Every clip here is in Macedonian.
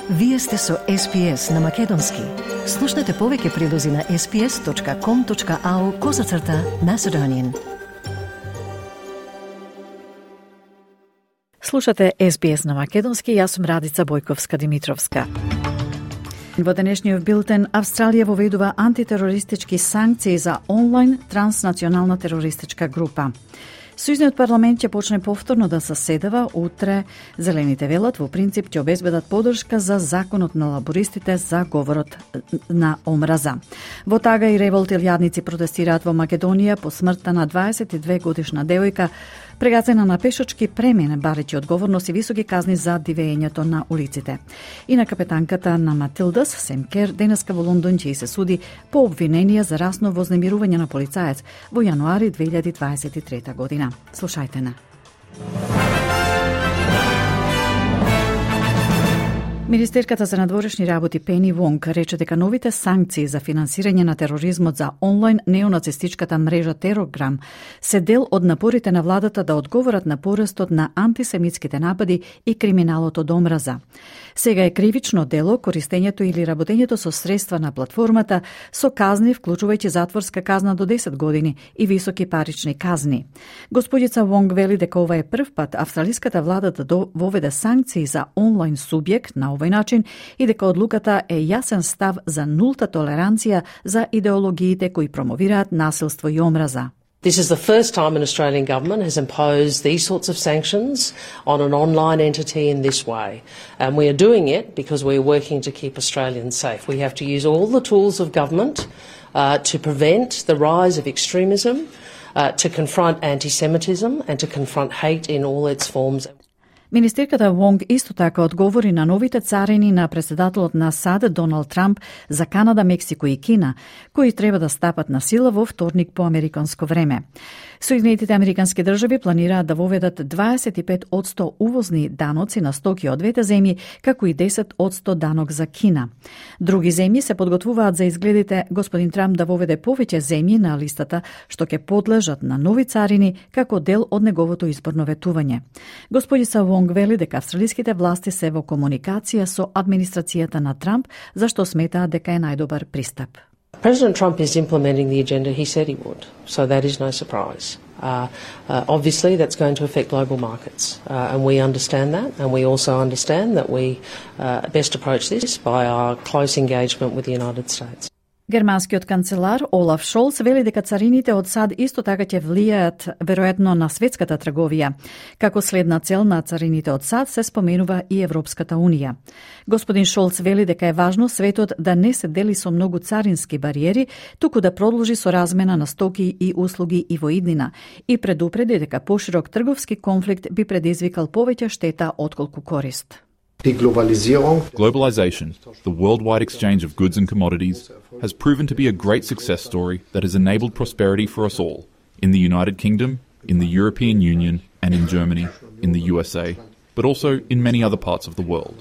Вие сте со SPS на Македонски. Слушнете повеќе прилози на sps.com.au/Macedonian. Слушате SBS на Македонски, јас сум Радица Бојковска-Димитровска. Во денешниот билтен, Австралија воведува антитерористички санкции за онлайн транснационална терористичка група. Сојузниот парламент ќе почне повторно да заседава утре. Зелените велат во принцип ќе обезбедат поддршка за законот на лабористите за говорот на омраза. Во Тага и револт илјадници протестираат во Македонија по смртта на 22 годишна девојка, прегазена на пешачки премин, барејќи одговорност и високи казни за дивењето на улиците. И на капетанката на Матилдас, Сем Кер, денеска во Лондон ќе се суди по обвиненија за расно вознемирување на полицаец во јануари 2023 година. Слушајте на. Министерката за надворешни работи Пени Вонг рече дека новите санкции за финансирање на тероризмот за онлайн неонацистичката мрежа Терограм се дел од напорите на владата да одговорат на порастот на антисемитските напади и криминалот од омраза. Сега е кривично дело користењето или работењето со средства на платформата со казни, вклучувајќи затворска казна до 10 години и високи парични казни. Господица Вонг вели дека ова е прв пат австралиската влада да воведе санкции за онлайн субјект на овој начин и дека одлуката е јасен став за нулта толеранција за идеологиите кои промовираат насилство и омраза. This is the first time an Australian government has imposed these sorts of sanctions on an online entity in this way. And we are doing it because we are working to keep Australians safe. We have to use all the tools of government to prevent the rise of extremism, to confront anti-Semitism and to confront hate in all its forms. Министерката Вонг исто така одговори на новите царини на председателот на САД Доналд Трамп за Канада, Мексико и Кина, кои треба да стапат на сила во вторник по американско време. Соединетите американски држави планираат да воведат 25% увозни даноци на стоки од двете земји, како и 10% данок за Кина. Други земји се подготвуваат за изгледите господин Трамп да воведе повеќе земји на листата што ќе подлежат на нови царини како дел од неговото изборно ветување. Господица Вонг вели дека австралиските власти се во комуникација со администрацијата на Трамп, зашто сметаат дека е најдобар пристап. President Trump is implementing the agenda he said he would, so that is no surprise. Obviously, that's going to affect global markets, and we understand that, and we also understand that we best approach this by our close engagement with the United States. Германскиот канцелар Олаф Шолц вели дека царините од САД исто така ќе влијаат веројатно на светската трговија. Како следна цел на царините од САД се споменува и Европската унија. Господин Шолц вели дека е важно светот да не се дели со многу царински бариери, туку да продолжи со размена на стоки и услуги и во иднина, и предупреди дека поширок трговски конфликт би предизвикал повеќе штета отколку корист. Globalization, the worldwide exchange of goods and commodities, has proven to be a great success story that has enabled prosperity for us all, in the United Kingdom, in the European Union, and in Germany, in the USA, but also in many other parts of the world.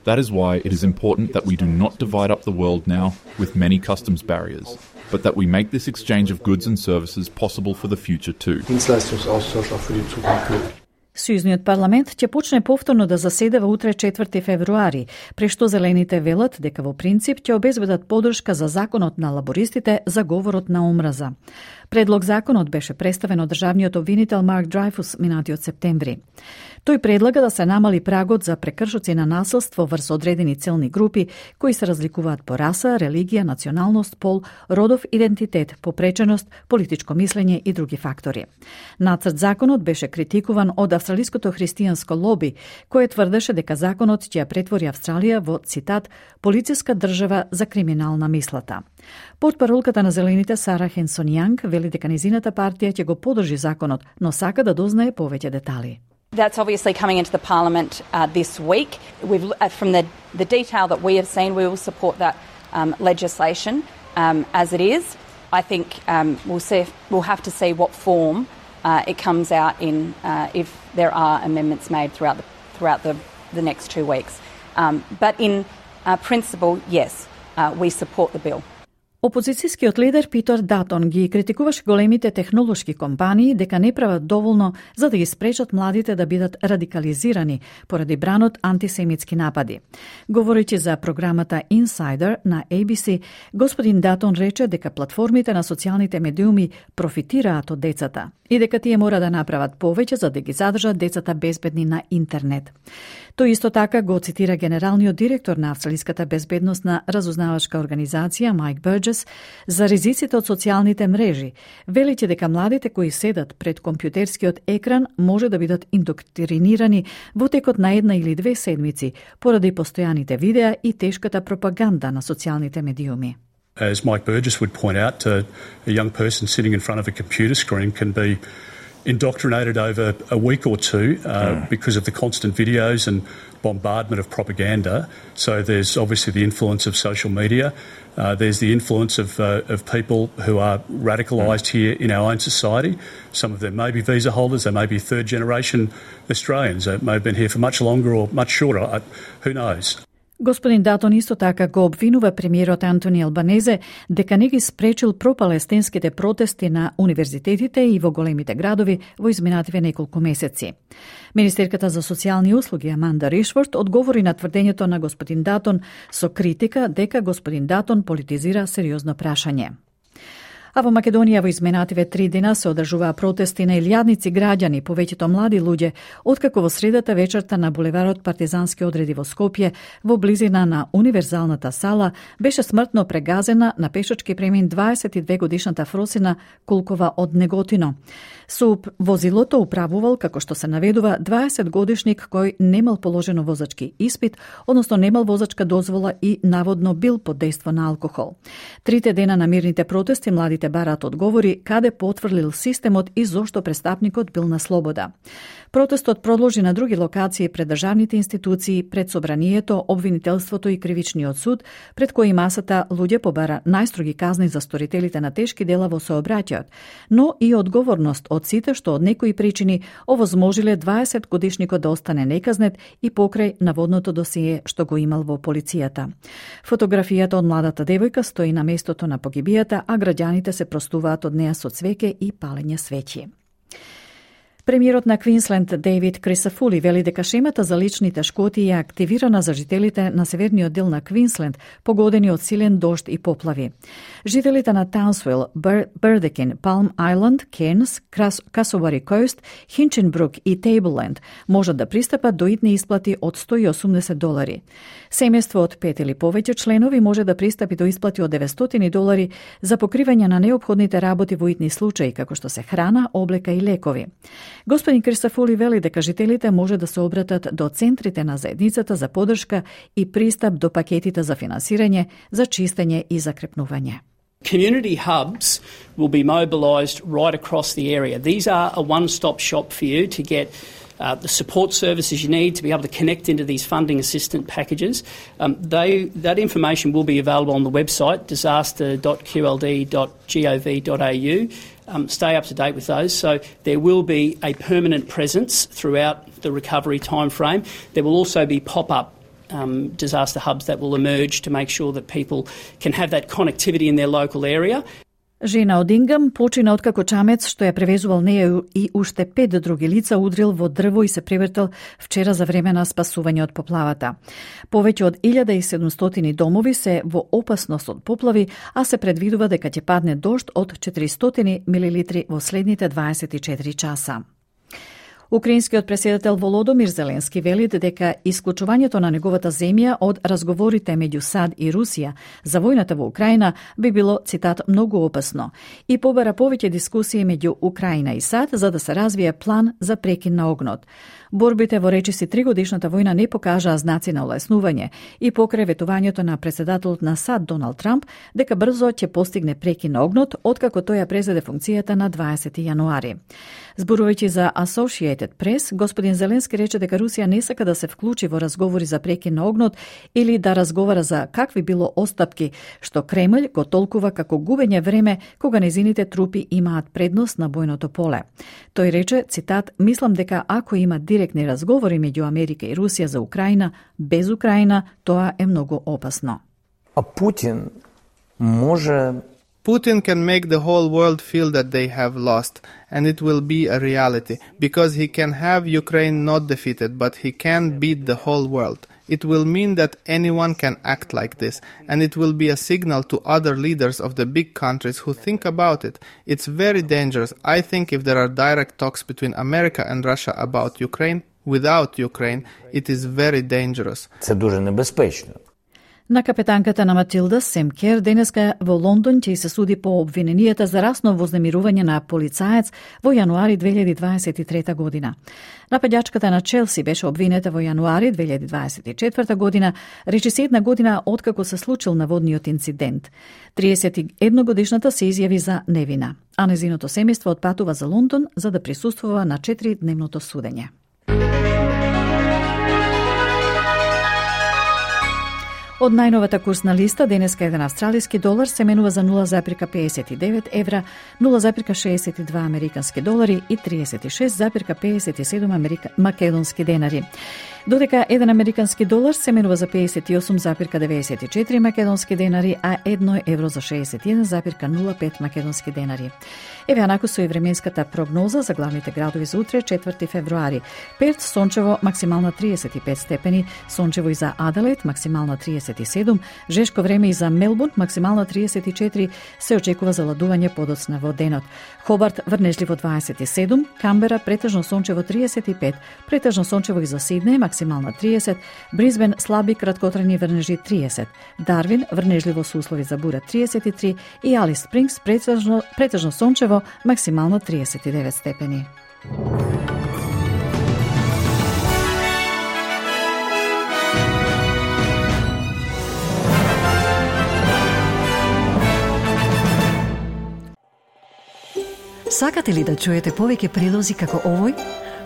That is why it is important that we do not divide up the world now with many customs barriers, but that we make this exchange of goods and services possible for the future too. Сојузниот парламент ќе почне повторно да заседава утре 4 февруари, прешто зелените велат дека во принцип ќе обезбедат поддршка за законот на лабористите за говорот на омраза. Предлог законот беше представен од државниот обвинител Марк Драйфус минатиот септември. Тој предлага да се намали прагот за прекршоци на насилство врз одредени целни групи кои се разликуваат по раса, религија, националност, пол, родов идентитет, попреченост, политичко мислење и други фактори. Нацрт законот беше критикуван од австралиското христијанско лоби, кое тврдеше дека законот ќе ја претвори Австралија во, цитат, полициска држава за криминална мислата. Портпаролката на зелените Сара Хенсон Јанг вели дека незината партија ќе го поддржи законот, но сака да дознае повеќе детали. That's obviously coming into the Parliament this week. From the detail that we have seen, we will support that legislation as it is. I think we'll have to see what form it comes out in if there are amendments made throughout the next 2 weeks. But in principle, yes, we support the bill. Опозицијскиот лидер Питер Датон ги критикуваше големите технолошки компании дека не прават доволно за да ги спречат младите да бидат радикализирани поради бранот антисемитски напади. Говорејќи за програмата Insider на ABC, господин Датон рече дека платформите на социјалните медиуми профитираат од децата и дека тие мора да направат повеќе за да ги задржат децата безбедни на интернет. Тој исто така го цитира генералниот директор на Австралиската безбедносна разузнавачка организација Майк Бурџес за ризиците од социјалните мрежи, велејќи дека младите кои седат пред компјутерскиот екран може да бидат индоктринирани во текот на 1 или 2 седмици поради постојаните видеа и тешката пропаганда на социјалните медиуми. As Mike Burgess would point out, a young person sitting in front of a computer screen can be indoctrinated over a week or two because of the constant videos and bombardment of propaganda. So there's obviously the influence of social media. There's the influence of people who are radicalised here in our own society. Some of them may be visa holders, they may be third generation Australians, they may have been here for much longer or much shorter, who knows. Господин Датон исто така го обвинува премиерот Антони Албанезе дека не ги спречил пропалестинските протести на универзитетите и во големите градови во изминативе неколку месеци. Министерката за социјални услуги Аманда Ришфорд одговори на тврдењето на господин Датон со критика дека господин Датон политизира сериозно прашање. А во Македонија во изминативе 3 дена се одржуваа протести на илјадници граѓани, повеќето млади луѓе, откако во средата вечерта на булеварот Партизански одреди во Скопје, во близина на универзалната сала, беше смртно прегазена на пешачки премин 22 годишната Фросина Кулкова од Неготино. Со возилото управувал, како што се наведува, 20 годишник кој немал положено возачки испит, односно немал возачка дозвола и наводно бил под дејство на алкохол. 3 дена на мирните протести младите бараат одговори каде потврлил системот и зошто престапникот бил на слобода. Протестот продолжи на други локации пред државните институции, пред собранието, обвинителството и кривичниот суд, пред кои масата луѓе побара најстроги казни за сторителите на тешки дела во сообраќајот, но и одговорност од сите што од некои причини овозможиле 20 годишникот да остане неказнет и покрај наводното досие што го имал во полицијата. Фотографијата од младата девојка стои на местото на погибијата, а граѓаните се простуваат од неа со цвеќе и палење свеќи. Премиерот на Квинсленд Дейвид Крисафули вели дека шемата за личните шкоти е активирана за жителите на северниот дел на Квинсленд, погодени од силен дожд и поплави. Жителите на Таунсвил, Бердекин, Палм Ајланд, Кернс, Касовари Коуст, Хинченбрук и Тейблленд можат да пристапат до итни исплати од $180. Семејство од 5 или повеќе членови може да пристапи до исплати од $900 за покривање на неопходните работи во итни случаи, како што се храна, облека и лекови. Господин Кристафули вели дека жителите може да се обратат до центрите на заедницата за поддршка и пристап до пакетите за финансирање, за чистење и закрепнување. Community hubs will be mobilised right across the area. These are a one-stop shop for you to get the support services you need to be able to connect into these funding assistance packages. That information will be available on the website, disaster.qld.gov.au. Stay up to date with those. So there will be a permanent presence throughout the recovery timeframe. There will also be pop-up disaster hubs that will emerge to make sure that people can have that connectivity in their local area. Жена од Ингам почина откако чамец што ја превезувал неја и уште 5 други лица удрил во дрво и се превртел вчера за време на спасување од поплавата. Повеќе од 1700 домови се во опасност од поплави, а се предвидува дека ќе падне дожд од 400 милилитри во следните 24 часа. Украинскиот претседател Володомир Зеленски вели дека исклучувањето на неговата земја од разговорите меѓу САД и Русија за војната во Украина би било, цитат, многу опасно и побара повеќе дискусии меѓу Украина и САД за да се развие план за прекин на огнот. Борбите во речиси 3-годишната војна не покажаа знаци на олеснување и покрај ветувањето на претседателот на САД Доналд Трамп дека брзо ќе постигне прекин на огнот откако тој ја презеде функцијата на 20 јануари. Зборувајќи за Associated Press, господин Зеленски рече дека Русија не сака да се вклучи во разговори за прекин на огнот или да разговара за какви било остапки, што Кремљ го толкува како губење време кога незините трупи имаат предност на бојното поле. Тој рече, цитат, мислам дека ако има директни разговори меѓу Америка и Русија за Украина, без Украина, тоа е многу опасно. А Путин Putin can make the whole world feel that they have lost, and it will be a reality, because he can have Ukraine not defeated, but he can beat the whole world. It will mean that anyone can act like this, and it will be a signal to other leaders of the big countries who think about it. It's very dangerous. I think if there are direct talks between America and Russia about Ukraine, without Ukraine, it is very dangerous. Це дуже небезпечно. На капетанката на Матилда Семкер денеска во Лондон ќе се суди по обвиненијата за расно вознемирување на полицаец во јануари 2023 година. Нападјачката на Челси беше обвинета во јануари 2024 година, речиси една година откако се случил наводниот инцидент. 31-годишната се изјави за невина, а незиното семејство отпатува за Лондон за да присуствува на 4-дневното судење. Од најновата курсна листа, денеска еден австралиски долар се менува за 0,59 евра, 0,62 американски долари и 36,57 македонски денари. Додека еден американски долар се менува за 58,94 македонски денари, а 1 евро за 61,05 македонски денари. Еве анаку со и временската прогноза за главните градови за утре, 4 февруари. Перт сончево, максимална 35 степени, сончево и за Аделаид, максимална 37, жешко време и за Мелбурн, максимална 34, се очекува заладување подоцна во денот. Хобарт врнежливо 27, Камбера претежно сончево 35, претежно сончево и за Сиднеј, максимална 30, Брисбен слаби краткотрajни врнежи 30, Дарвин врнежливо со услови за бура 33 и Алис Спрингс претежно сончево, максимално 39 степени. Сакате ли да чуете повеќе прилози како овој?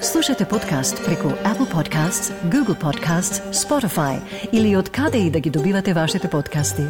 Слушате подкаст преку Apple Podcasts, Google Podcasts, Spotify или од каде и да ги добивате вашите подкасти.